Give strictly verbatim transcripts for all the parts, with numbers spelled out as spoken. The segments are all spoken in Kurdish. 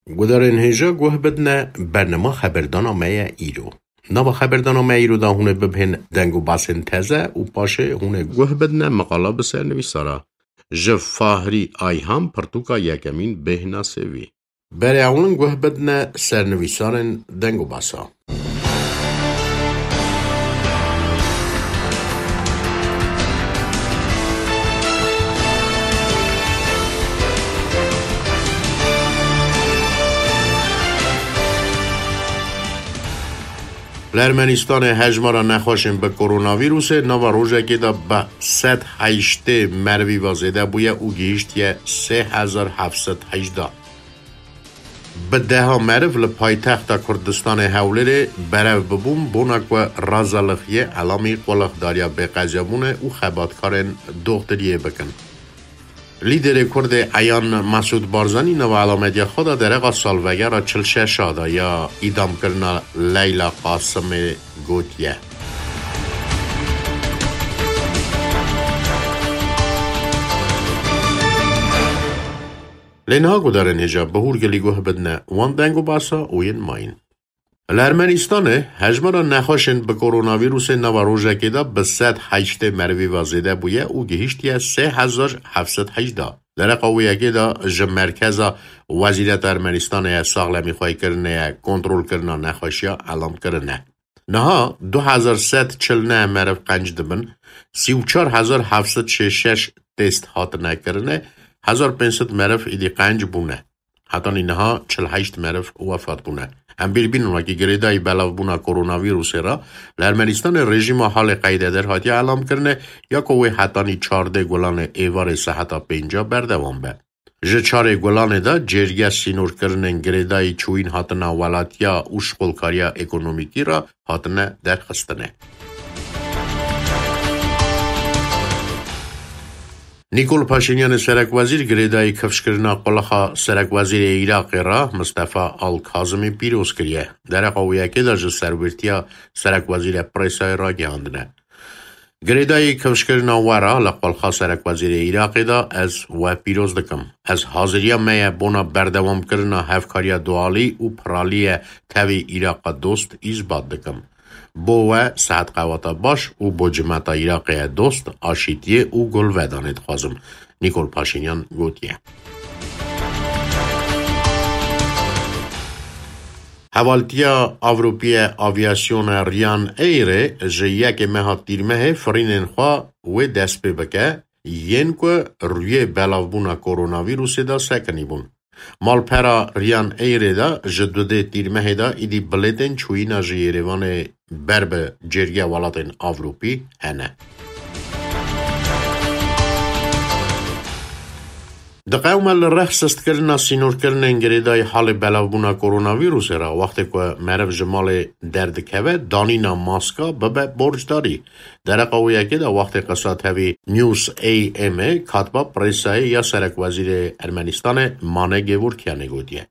Gudarên hêja guh bidne bernama xeberdana me ye îro. Nava xeberdana me îro de hûn ê bibihên deng û basên teze û paşê hûn ê guh bidne meqala bi sernivîsa re. Ji Fahrî Ayhan pirtûka yekemîn bêhna sêvî. Berê ewlin guh bidne sernivîsarên deng û basa. Li Ermenistanê hejmara nexweşên bi koronavîrusê nava rojekê de bi sed heştê merivî ve zêde bûye û gihîştiye sê hezar heft sed hejdeh. Bi deha meriv li paytexta Kurdistanê Hewlêrê berev bibûn, bona ku razalixiyê elamî qulixdariya bêqezabûnê û xebatkarên doxtiriyê bikin. Lîderê Kurdê eyan Mesûd Barzanî nava elametiya xwe de dereqa salvegera çil şeş a de ya îdamkirina Leyla Qasimê gotiye. Lê niha gudarên hêja bi hûrgilî guh bidine wan deng û basa û yên mayîn. Li Ermenistanê hejmara nexweşên bi koronavîrusê nava rojekê de bi sed heştê merivî ve zêde bûye û gihîştiye sê hezar heft sed hejdeh. Dereqa wê yekê de ji merkeza Wezîreta Ermenistanê ye saxlemîxweykirinê ye kontrolkirina nexweşiya elam kirine. Niha du hezar sed çil neh meriv qenc dibin, sî û çar hezar heft sed şêst şeş test hatine kirine, hezar pênc sed meriv îdî qenc bûne. Hetanî niha çil heşt meriv wefat bûne. Em bîr bînin wekî girêdayî belavbûna koronavîrusê re li Ermenistanê rejîma halê qeydeder hatiye elam kirine, ya ku wê hetanî çardê Gulanê êvarê seheta pênca berdewam be. Ji çarê Gulanê de cêrge sînorkirinên girêdayî çûyîn hatina welatiya û şixulkariya ekonomîkî re hatine derxistine. Nîkol Paşînyanê serekwezîr girêdayî kifşkirina qulixa serekwezîrê Iraqê re Mistefa Al Kazimî pîroz kiriye. Dereqa wê yekê de ji serwîrtiya serekwezîrê presayê ragihandine. Girêdayî kifşkirina we re li qulixa serekwezîrê Iraqê de ez we pîroz dikim. Ez haziriya me ye bona berdewamkirina hevkariya dualî û piralî ye tevî Îraqa dost îsbat dikim. Bo we sehet qewata baş û bo cimeta Iraqê ye dost, aşîtiyê û golvedanê dixwazim, Nîkol Paşînyan gotiye. Hevaltiya Ewropî ye Avîasyona Ryanairê ji yekê meha Tîrmehê firînên xwe wê dest pê bike, yên ku rûyê belavbûna koronavîrusê de sekinî bûn. Malpera Ryanairê de ji dudê Tîrmehê de îdî bilêtên çûyîna ji Yêrêvanê ber bi cêrgê welatên Ewropî hene. Diqewime li rex sistkirina sînorkirinên girêdayî halê belavbûna koronavîrusê re, wextê ku meriv ji malê derdikeve, danîna maska bibe borcdarî. Dereqa wê yekê de wextê qisa tevî News A M ê katba presayê ya serekwezîrê Ermenistanê Mane Gêvorkyanê gotiye.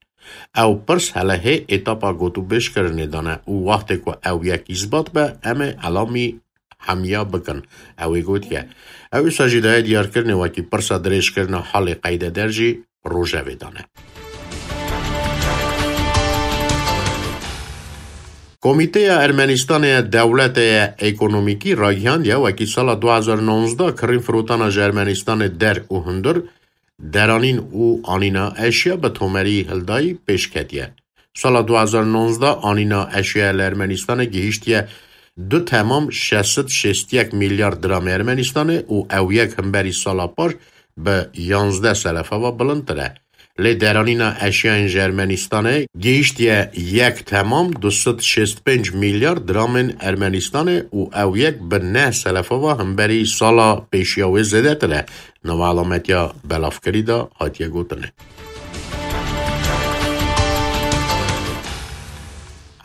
Ew pirs hele hê etapa gotûbêjkirinê de ne û wextê ku ew yek îsbat be, em ê elamî hemiya bikin. Ew ê gotiye. Ew wisa jî daye diyarkirinê wekî pirsa dirêjkirina halê qeydeder jî rojevê de ne. Komîteya Ermenistanê ya Dewletê ya Ekonomîkî ragihandiye wekî sala du hezar nonzdeh kirîn firotana ji Ermenistanê der û hundir, deranîn û anîna eşya bi tomerî hildayî pêş ketiye. Sala du hezar nonzdeh anîna eşyaya li Ermenistanê gihîştiye du temam şeş sed şêst yek milyar diramê Ermenistanê û ew yek himberî sala paş bi yanzdeh selefa ve bilindtir e. Lê deranîna eşyayên ji Ermenistanê gihîştiye yek temam du sed şêst pênc milyar diramên Ermenistanê û ew yek bi neh selefa ve himberî sala pêşiya wê zêdetir e. Nava elametiya belavkirî de hatiye gotin.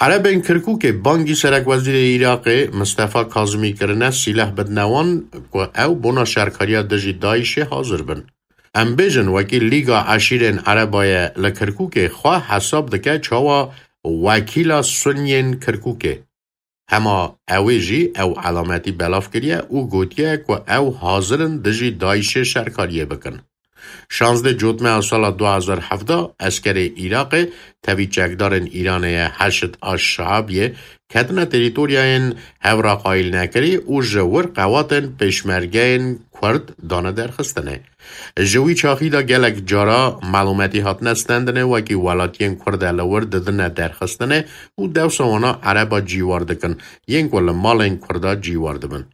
Erebên Kirkûkê bangî serekwezîrê Iraqê Mistefa Kazimî kirine sîleh bidine wan ku ew bona şerkariya dijî DAIŞê hazir bin. Em bêjin wekî Lîga Eşîrên Ereba ye li Kirkûkê xwe hesab dike çawa wekîla Sunyên Kirkûkê. Hema ew ê jî ew elametî belav kiriye û gotiye ku ew hazir in dijî DAIŞê şerkariyê bikin. Şazdeh Cotmeha sala du hezar hevdeh eskerê Iraqê tevî çekdarên Îranê ye Heşd Aş-Şeabiyê ketine terîtoryayên hevra qayîl nekirî û ji wir qewatên pêşmergeyên Kurd dane derxistinê. Ji wî çaxî de gelek cara malûmetî hatine stendinê, wekî welatiyên Kurd e li wir didine derxistinê û dewsa wana Ereba cîwar dikin, yên ku li malên Kurda cîwar dibin.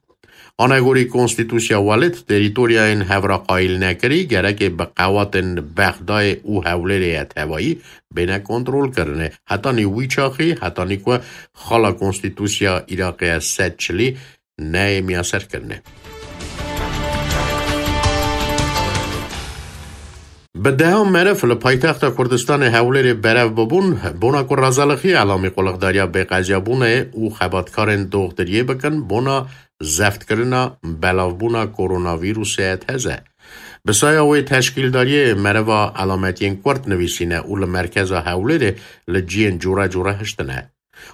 Anegorî Konstîtûsya Welêt, terîtoryayên hevra qayîl nekirî gereke bi qewatên Bexdayê û Hewlêrê ye tevayî bêne kontrolkirinê. Hetanî wî çaxî, hetanî ku xala Konstîtûsya Iraqê ye sed çilî neyê miyaserkirinê. Bi dehan meriv li paytexta Kurdistanê Hewlêrê berev bibûn, bona ku Razalixiyê Elamî quliqdariya bêqeziyabûnê û xebatkarên doxtiriyê bikin, bona zeftkirina belavbûna koronavîrusê teze. Bi saya wê teşkîldariyê meriva elametiyên kurt nivîsîne û li merkeza Hewlêrê li ciyên cûre cûre hiştine.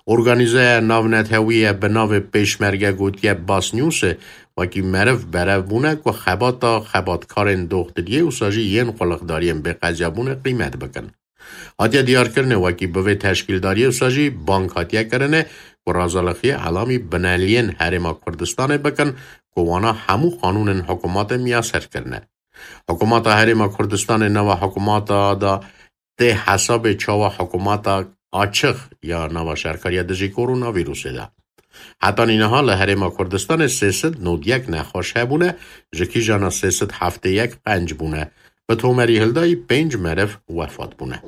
Organîzeya navnetewî ye bi navê Pêşmerge gotiye Basnewsê, wekî meriv berev bûne ku xebata xebatkarên doxtiriyê wisa jî yên quliqdariyên bêqeziyabûnê qîmet bikin. Hatiye diyarkirinê wekî bi vê teşkîldariyê wisa jî bang hatiye kirinê ku Razalixiyê Elamî bineliyên Herêma Kurdistanê bikin ku wana hemû qanûnên hikûmatê miyaser kirine. Hikûmata Herêma Kurdistanê nava hikûmata da tê hesabê çawa hikûmata açix ya nava şerkariya dijî koronavîrusê de. Hetanî niha li Herêma Kurdistanê sê sed nod yek nexweş hebûne, ji kîjana sê sed heftê yek qenc bûne. Bi tomerî hildayî pênc meriv wefat bûne.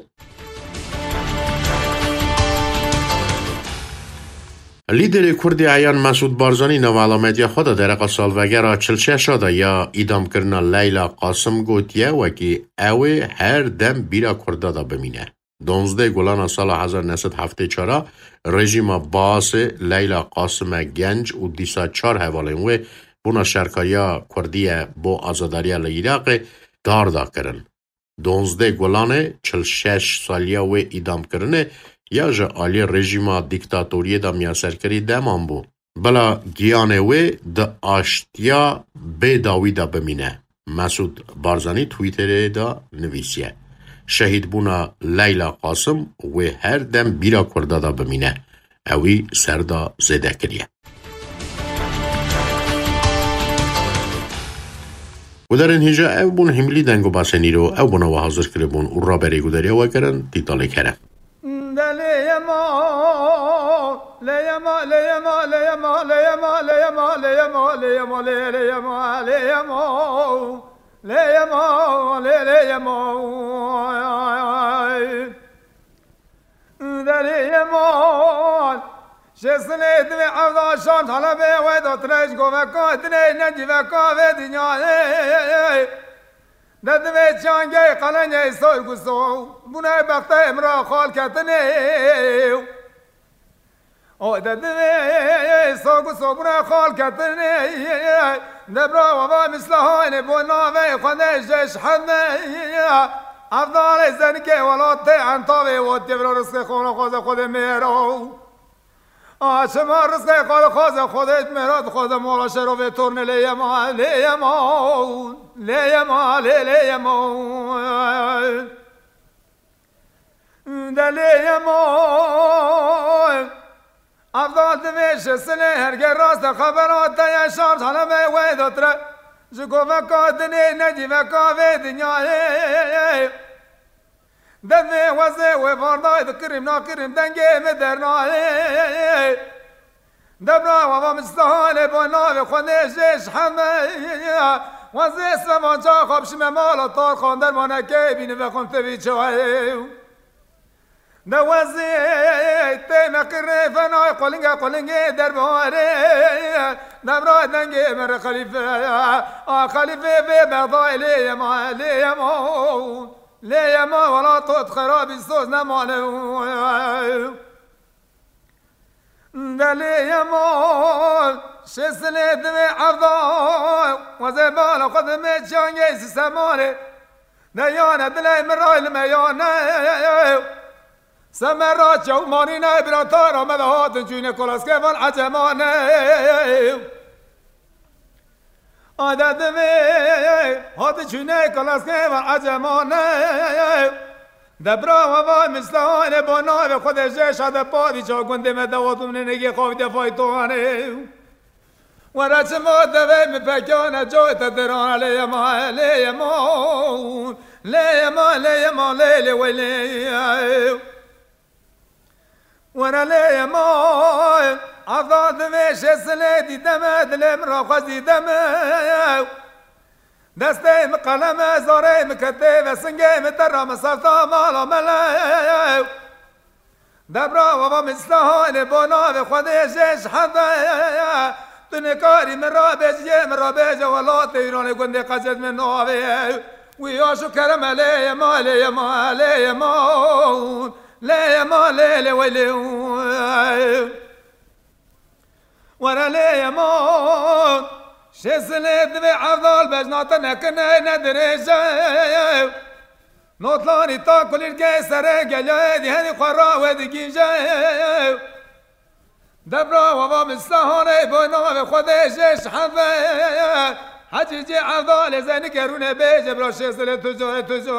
Lîderê Kurdê eyan Mesûd Barzanî nava elametiya xwe de dereqa salvegera çil şeş a de ya îdamkirina Leyla Qasim gotiye, wekî ew ê her dem bîra Kurda de bimîne. Donzdeh Gulana sala hezar neh sed heftê çar a rejîma Baasê Leyla Qasime Genc û dîsa çar hevalên wê bona şerkariya Kurdî ye bo azadariya li Iraqê dar da kirin. Donzdeh Gulanê çil şeş saliya wê îdamkirinê ya ji alî rejîma dîktatoriyê de miyaserkirî deman bû. Bila giyanê wê di aştiya bê dawî de bimîne. Mesûd Barzanî Twitterê de nivîsiye, Şehîdbûna Leyla Qasim wê her dem bîra Kurda de bimîne. Ewî ser de zêde kiriye. Gudarên hêja ev bûn hîmilî deng û basên îro ew bûna we hazir kiribûn û raberê gudariya we kirin Tîtalê Kerem. Derê yemal. Şêsinê divê evda şan talebê we de tirej goveka dinê necîveka vê dinyayê. De divê çangê qelengê sorguso bûne bextê min ra xal ketinê. O de divê sorguso bûne xal ketinê. De bira wava mislahanê bo navê xwedê jeş heme. Evdalê zenikê welatê entavê wotê vira rizqê xwana xwaze xwedê mêro. A çima rizqê xwe dixwaze xwedê mêra dixwaze mola şerovê tornê lê yema, lê yema, lê yema, lê, lê yema. De lê yema. Evda divê ji silê herge rast e xebera te ye şart hale me wê dotre. Ji goveka dinê necîveka vê dinyayê. Devê wezê wê vardayê dikirim nakirim dengê min dernayê. Debra wava min stahane bo navê xwe nêjê ji heme. Wezê sevanca xwe bişime mala tar xan dermanekê bîni vexwim tevî çayê. De wezê tê me qirê fenay qolingê qolingê derbarê. Debra dengê min re xelîfe. A xelîfe vê bexdayê lê yema lê yema. Lê yema wela tot xerabî soz nemane. De lê yema şêsilê divê evda. Wezê bala xwe dimê çangê sîsemanê. De yane dilê min ray li me yane. Semera çewmanî ne bira tara me de hatin çûyne kolaskê van ecemane. Ade divê hati çûne kalaskê ve ecemane. De bira we va mislahane bo navê Xwedê jê şade padî ça gundê me dewa tumne negê xavî de faytane. Were çima devê mi pekane coy te dirane lê yema, lê yema, lê yema, lê yema, lê, lê, wey, lê. Were lê yema, evda divê şê silê dîdeme, dilê min ra xwezî deme. Destê min qeleme, zarê min ketê ve singê min te ra min sefta mala mele. Debra wava min slahane bo navê Xwedê jê ji hede. Tu nikarî min ra bêjiyê, min ra bêje welatê Îranê gundê qecet min navê. Wî ya şu kereme lê yema, lê yema, lê yema. Lê yema, lê, lê, wey, lê. Were lê yema. Şêsilê divê evdal bejna te nekine ne dirêje. Notlanî ta kulîlkê serê gelê dî herî xwe ra wê digîje. Debra wava min slahane bo navê Xwedê jê şeheve. Hecî cê evdalê zeyni kerûne bêje bira şêsilê tujo, tujo.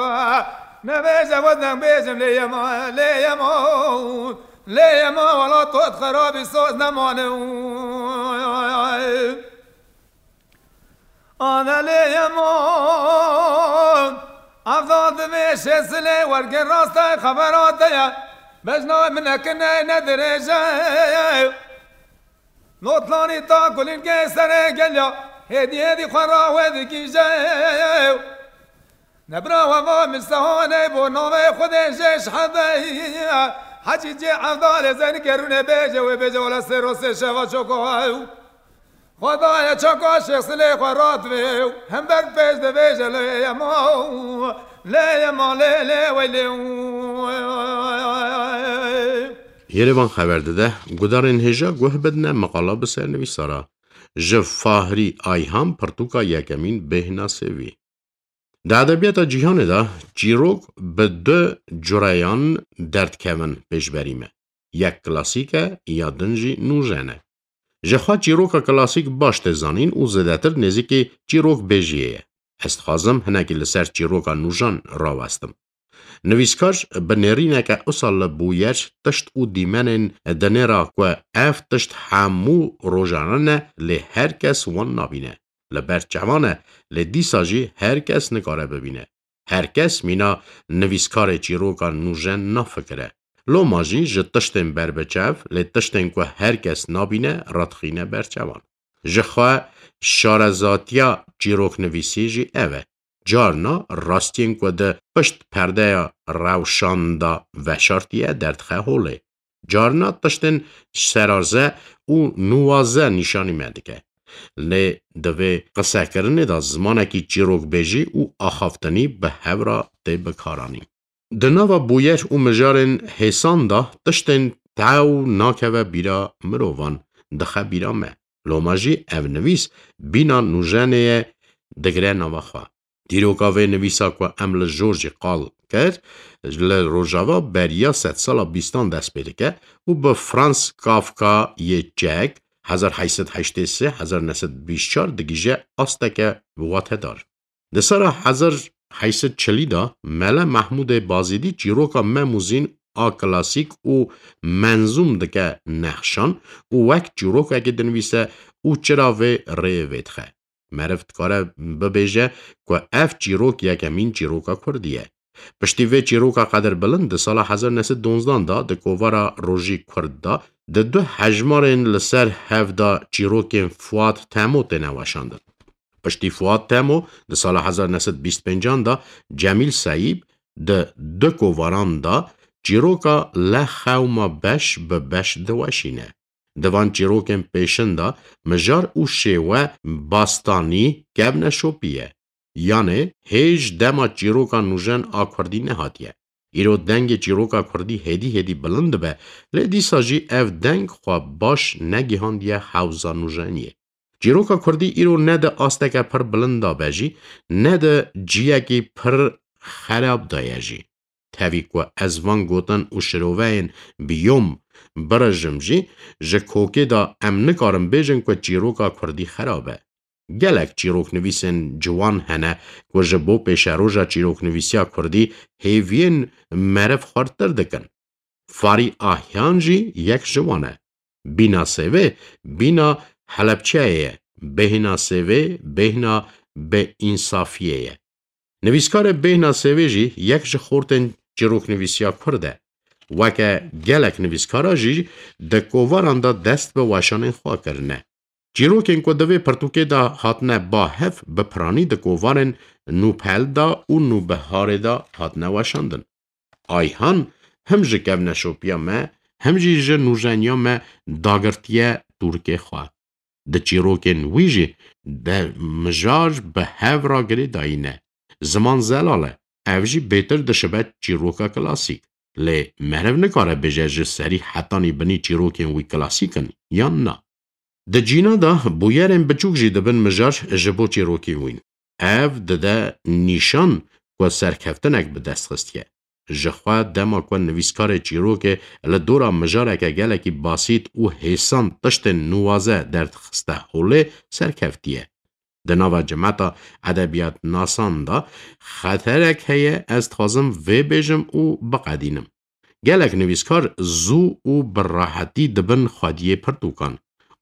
Nebêje wezden bêjim lê yema, lê yema. Lê yema wala tot xerabî soz nemane. Ana lê yema. Evda divê şêsilê wergê rastay xebera te ye. Bejna min nekine ne dirêje. Notlanî ta kulîlkê serê gelya. Hêdî hêdî xwe ra wê digîje. Nebra weva min sehane bo navê Xwedê jê şehede. Hecî cê evdalê zeyni kerûne bêje wê bêje wala sê rosê şeva çoko ew. Xwedayê çaka şêxsilê xwe radivê û hember pêş divêje lê yema, lê yema, lê, lê, wey, lê. Yerevan xeber dide, gudarên hêja guh bidine meqala bi sernivîsara. Ji Fahrî Ayhan pirtûka yekemîn bêhna sêvî. Di edebiyata cîhanê de çîrok bi du cureyan derdikevin pêşberî me. Yek klasîk e, ya din jî nûjen e. Ji xwe çîroka klasîk baş tê zanîn û zêdetir nêzîkî çîrokbêjiyê ye. Ez dixwazim hinekî li ser çîroka nûjan rawestim. Nivîskar bi nêrîneke usa li bûyer tişt û dîmenên dinêra ku ev tişt hemû rojane ne, lê her kes wan nabîne. Li ber çavan e, lê dîsa jî her kes nikare bibîne. Her kes mîna nivîskarê çîroka nûjen nafikire. Loma jî ji tiştên berbiçav, lê tiştên ku her kes nabîne, radixîne ber çavan. Ji xwe şarezatiya çîroknivîsî jî ev e. Carna rastiyên ku di pişt perdeya rewşan de veşartiye derdixe holê. Carna tiştên serarze û nûwaze nîşanî me dike. Lê di vê qisekirinê de zimanekî çîrokbêjî û axaftinî bi hev re tê bikaranîn. Di nava bûyer û mijarên hêsan de tiştên tew nakeve bîra mirovan, dixe bîra me. Loma jî ev nivîs bîna nûjenê ye, digire nava xwe. Dîroka vê nivîsa ku em li jor jî qal kir, li Rojava beriya sedsala bîstan dest pê dike û bi Franz Kafka yê Çek, hezar heyt sed heştê sê, hezar neh sed bîst çar digihîje asteke watedar. Di sala hezar heyt sed çilî de Mele Mehmûdê Bazîdî çîroka Mem û Zîn a klasîk û menzûm dike nexşan û wek çîrokekê dinivîse û çira vê rêyê vêdixe. Meriv dikare bibêje ku ev çîrok yekemîn çîroka kurdî ye. Piştî vê çîroka qedirbilind di sala hezar neh sed donzdan de di kovara Rojî Kurd de di du hejmarên li ser hev de çîrokên Fuat Temo têne weşandin. Piştî Fuat Temo di sala hezar neh sed bîst pêncan de Cemîl Seyîb di du kovaran de çîroka Le xew ma beş bi beş diweşîne. Di van çîrokên pêşin de mijar û şêwe bastanî kevneşopî ye. Yanê hêj dema çîroka nûjen a kurdî nehatiye. Îro dengê çîroka kurdî hêdî hêdî bilind dibe, lê dîsa jî ev deng xwe baş negihandiye hewza nûjeniyê. Çîroka kurdî îro ne di asteke pir bilind de be jî, ne di ciyekî pir xerab de ye jî. Tevî ku ez van gotin û şiroveyên biyom birijim jî, ji kokê de em nikarin bêjin ku çîroka kurdî xerab e. Gelek çîroknivîsên ciwan hene ku ji bo pêşeroja çîroknivîsiya kurdî hêviyên meriv xurttir dikin. Farî Ahyan jî yek ji wan e. Bîna Sêvê bîna Helebçeyê ye. Bêhna Sêvê bêhna Bêînsafiyê ye. Nivîskarê Bêhna Sêvê jî yek ji xortên çîroknivîsiya kurd e. Weke gelek nivîskara jî di kovaran de dest bi weşanên xwe kirine. Çîrokên ku di vê pirtûkê de hatine ba hev bi piranî di kovarên Nûpel de û Nûbiharê de hatine weşandin. Ayhan him ji kevneşopiya me, him jî ji nûjeniya me dagirtiye tûrikê xwe. Di çîrokên wî jî de mijar bi hev re girêdayî ne. Ziman zelal e. Ev jî bêtir dişibe çîroka klasîk. Lê meriv nikare bêje ji serî hetanî binî çîrokên wî klasîk in yan na. Di cîna de bûyerên biçûk jî dibin mijar ji bo çîrokên wî. Ev dide nîşan ku serkeftinek bi dest xistiye. Ji xwe dema ku nivîskarê çîrokê li dora mijareke gelekî basît û hêsan tiştên nuwaze derdixiste holê serkeftiye. Di nava cemeta edebiyatnasan de xeterek heye, ez dixwazim vê bêjim û biqedînim. Gelek nivîskar zû û bi rehetî dibin xwediyê pirtûkan.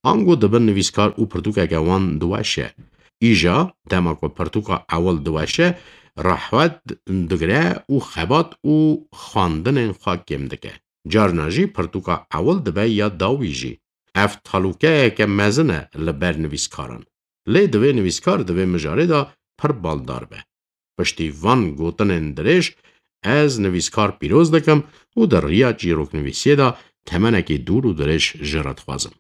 Ango dibin nivîskar û pirtûkeke wan diweşe. Îja dema ku pirtûka ewil diweşe, rehwet digire û xebat û xwendinên xwe kêm dike. Carna jî pirtûka ewil dibe ya dawî jî. Ev talûkeyeke mezin e li ber nivîskaran. Lê divê nivîskar di vê mijarê de pir baldar be. Piştî van gotinên dirêj, ez nivîskar pîroz dikim û di riya çîroknivîsiyê de temenekî dûr û dirêj ji re dixwazim.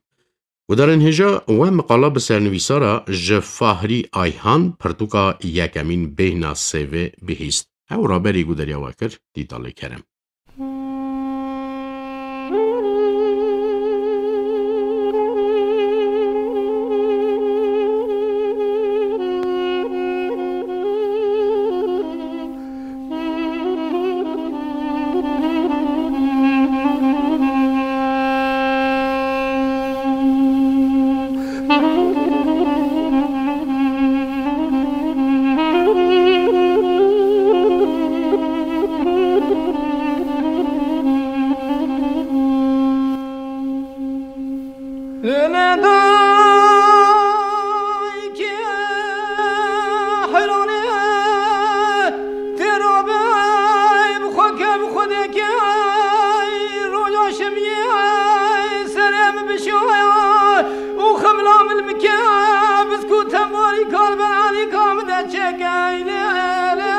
Gudarên hêja, we miqala bi sernivîsara ji Fahrî Ayhan pirtûka yekemîn Bêhna Sêvê bihîst. Ew raberî gudariya we kir, Dîtalê Kerem. Lê ne daykê heyranê têra be, bi xwe ke, bi xwe deke, roja şemiyê serê min bişoya û xemla min bike, biskû tembarî kar be, alîka min de çêke, lê, lê,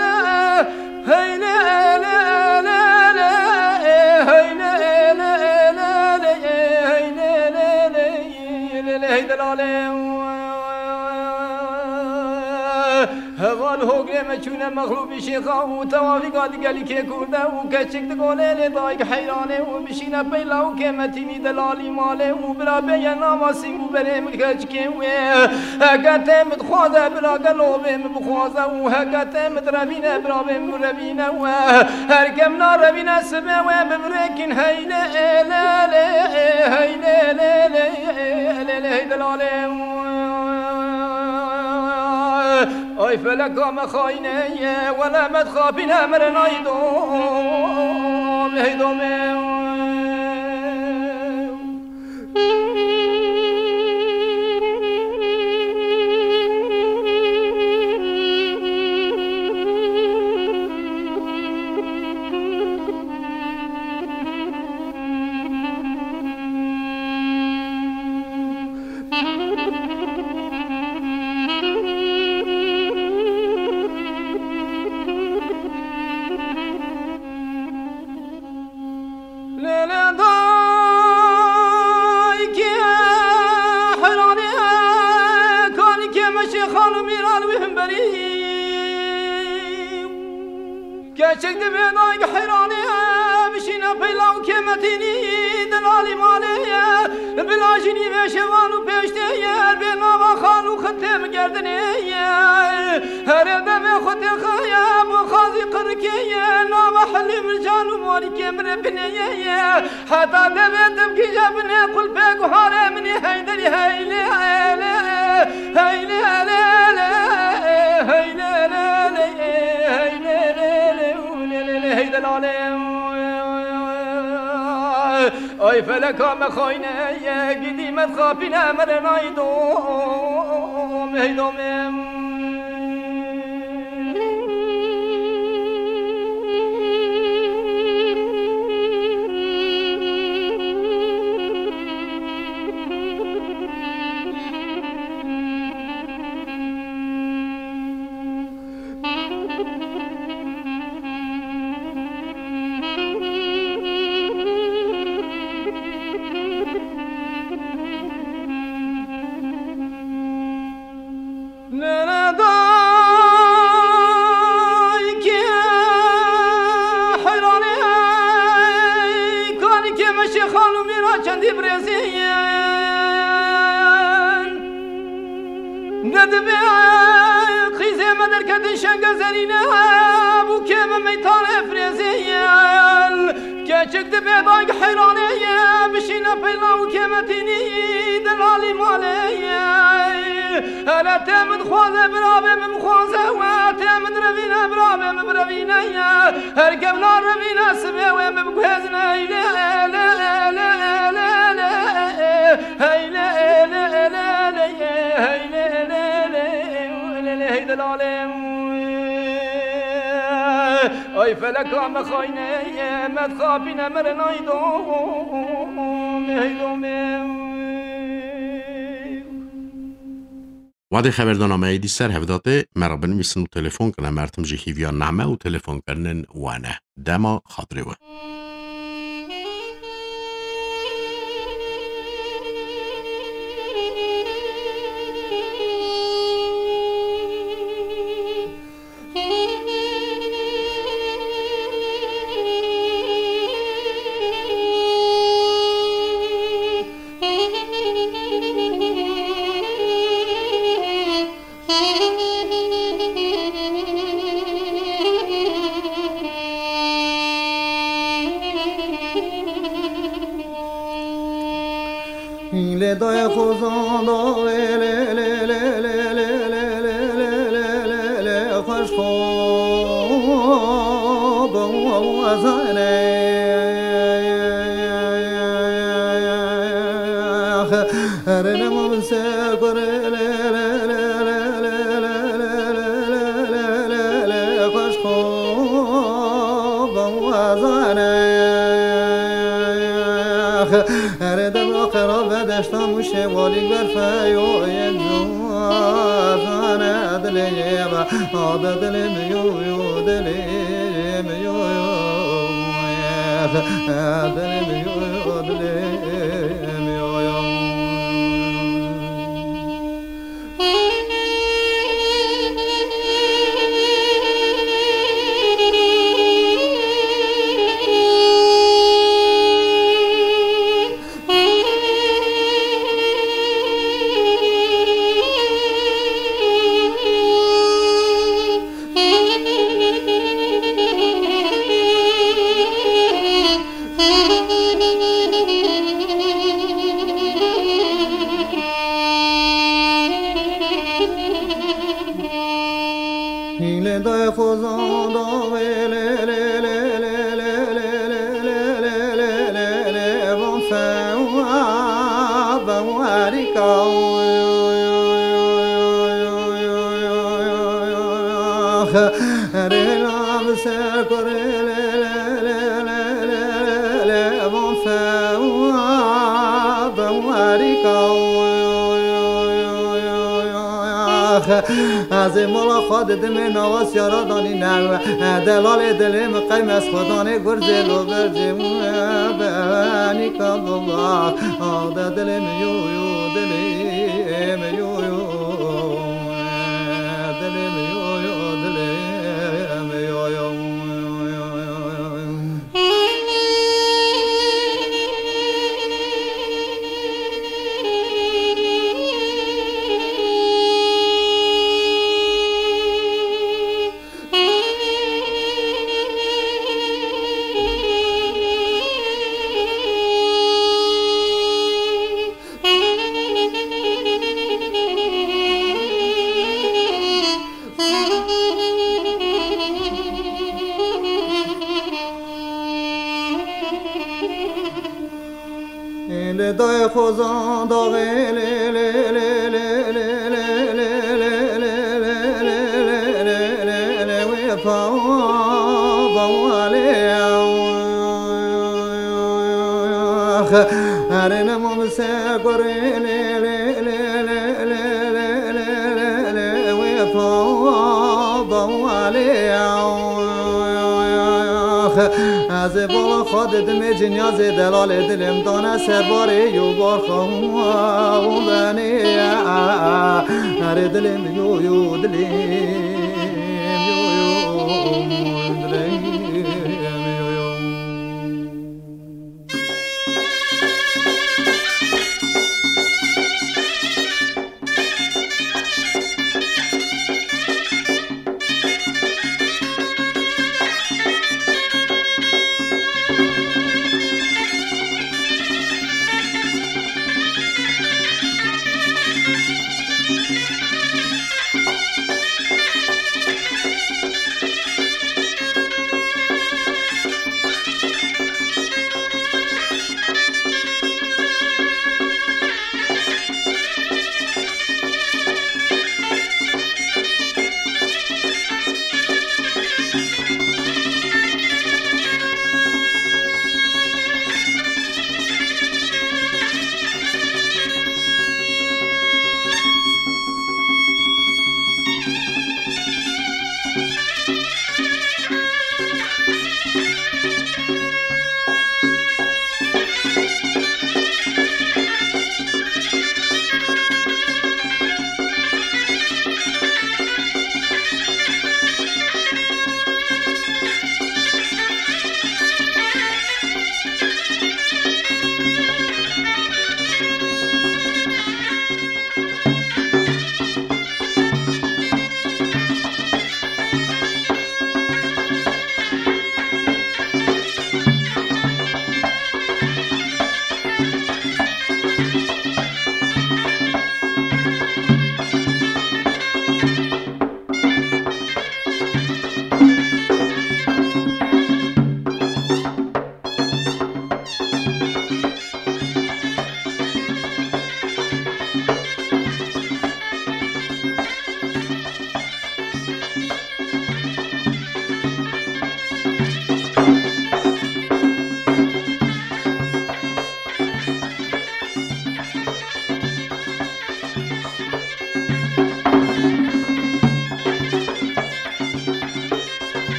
lê. Hey lê lê lê lê, hey lê lê lê lê, hey lê lê lê lê lê, hey delalê. Heval hogrê me çûne mexlûbî şêxa û tewafîka digelî kê kurde û keçik digolê lê dayik heyranê û bişîne peyla û kêmetînî delalî malê û bira bêye nava sîng û berê min keçikê wê. Heke tê min dixwaze bira gelo bê min bixwaze û heke tê min direvîne bira bê min revîne we. Her ke min a revîne sibê wê bibirêkin hey lê lê lê, hey lê lê lê lê lê, hey delalê. Ay feleka me xayne ye, wele me dixapîne mere nayî dom, hey domê. Lê lê daykê heyranê, kalikê me şêxan û mîran wî himberî. Keçik divê dayk heyranê, bişîne peyla û kêmetînî delalî malê ye. Bila jî nîvê şevan û pêştê ye, bê nava xan û xitê min gerdinê ye. Herê devê xwe têxaye, bo xazî qirikê ye, nava helî mircan û morîkê min rê binê ye ye. Heta devê tim gîje binê qulpê guharê min ê heyderî heylê, heylê. Hey lê lê lê, hey lê lê lê, hey lê lê lê, u lê lê lê, hey delale. Ay feleka me xayne ye, gidî me dixapîne, me re nayê dom, hey domê. Nene dayke heyranê, kalikê me şêxan û mîra çendî birêzî yên. Ne dibê qîzê me derketin şenge zerîne, bûkê me meytanê firêzî yên. Keçik dibê dayk heyranê ye, bişîne peyla û kêmetînî delalî malê ye. Hele tê min dixwaze, birabê min bixwaze we, tê min direvîne, birabê min birevîne ye. Her kevna revîne sibê wê min biguhêzine, hey lê, lê, lê, lê, lê, lê, hey lê, lê, lê, lê, hey lê, lê, lê, lê, lê, hey delalê. Ay feleka me xayne ye, me dixapîne, me re nayê dom, hey domê. Wadê xeberdana me êdî ser hevdatê, me re binivîsin û telefon kine. Mertim jî hîviya name û telefonkirinên we ne. Dema xatirê we. Lê dayê xozan da, lê, lê, lê, xweş xo bawazane. Herê nema min ser kurê, lê, lê, lê, xweş xo bawazane. Erê devra qera ve deşta muşê walî berfeyo yê zane dilê ye ve ade dilê mi yo yo dilê mi yo yo dilê mi yo yo dilê mi yo yo. Hîlê dayê xozan da wê lê, lê, lê, lê, lê, lê, lê, lê, lê, lê, lê, lê, van fewa, van werîka. Rêla bi ser kurê lê, lê, lê, lê, lê, lê, lê, van fewa, van werîka. Ez ê mala xwe didimê nava siyara danî newe. Delalê dilê min qey me ez xwe danê gurzê lo bercê min benîka baba. Ade dilê min yo yo dilê min yo yo. Dilê min yo yo dilê min yo yo. Li dayê xozan daxê lê lê lê lê lê lê lê lê lê lê lê lê lê lê lê lê lê wê pa bawalê. Herê nemo bi ser gorê lê lê lê lê lê lê lê lê lê wê pa bawalê. Ez ê bala xwe didimê cinyazê delalê dilê min dane ser barê yo bar xwe û benê. Erê dilê min yo yo dilê.